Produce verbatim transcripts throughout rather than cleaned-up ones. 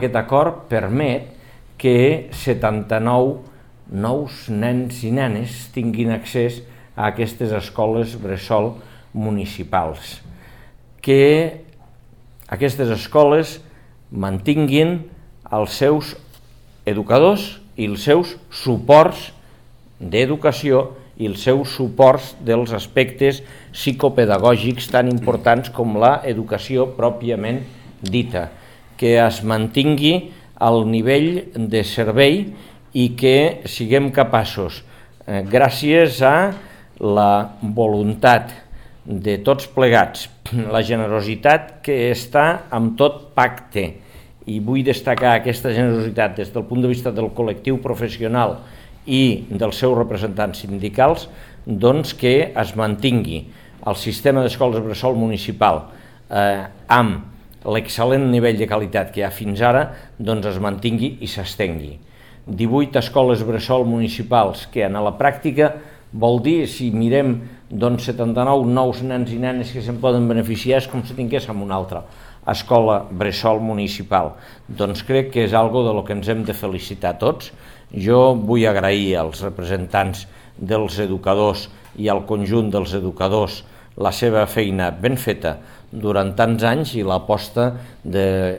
Aquest acord permet que setanta-nou nous nens i nenes tinguin accés a aquestes escoles bressol municipals, que aquestes escoles mantinguin els seus educadors i els seus suports d'educació i els seus suports dels aspectes psicopedagògics tan importants com l'educació pròpiament dita, que es mantingui al nivell de servei i que siguem capaços, eh, gràcies a la voluntat de tots plegats, la generositat que està amb tot pacte, i vull destacar aquesta generositat des del punt de vista del col·lectiu professional i dels seus representants sindicals, doncs que es mantingui el sistema d'escoles bressol municipal eh, amb l'excel·lent nivell de qualitat que hi ha fins ara, doncs es mantingui i s'estengui. divuit escoles bressol municipals que en la pràctica vol dir, si mirem doncs, setanta-nou nous nens i nenes que se'n poden beneficiar, és com si tinguéssim una altra escola bressol municipal. Doncs crec que és algo de lo que ens hem de felicitar tots. Jo vull agrair als representants dels educadors i al conjunt dels educadors la seva feina ben feta durant tants anys i l'aposta de,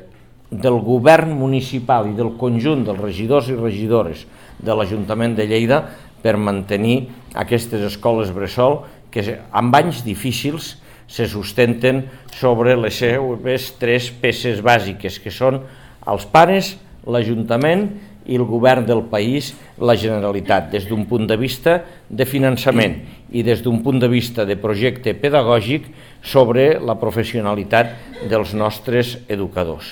del govern municipal i del conjunt dels regidors i regidores de l'Ajuntament de Lleida per mantenir aquestes escoles bressol que amb anys difícils se sustenten sobre les seves tres peces bàsiques, que són els pares, l'Ajuntament i el govern del país, la Generalitat, des d'un punt de vista de finançament i des d'un punt de vista de projecte pedagògic sobre la professionalitat dels nostres educadors.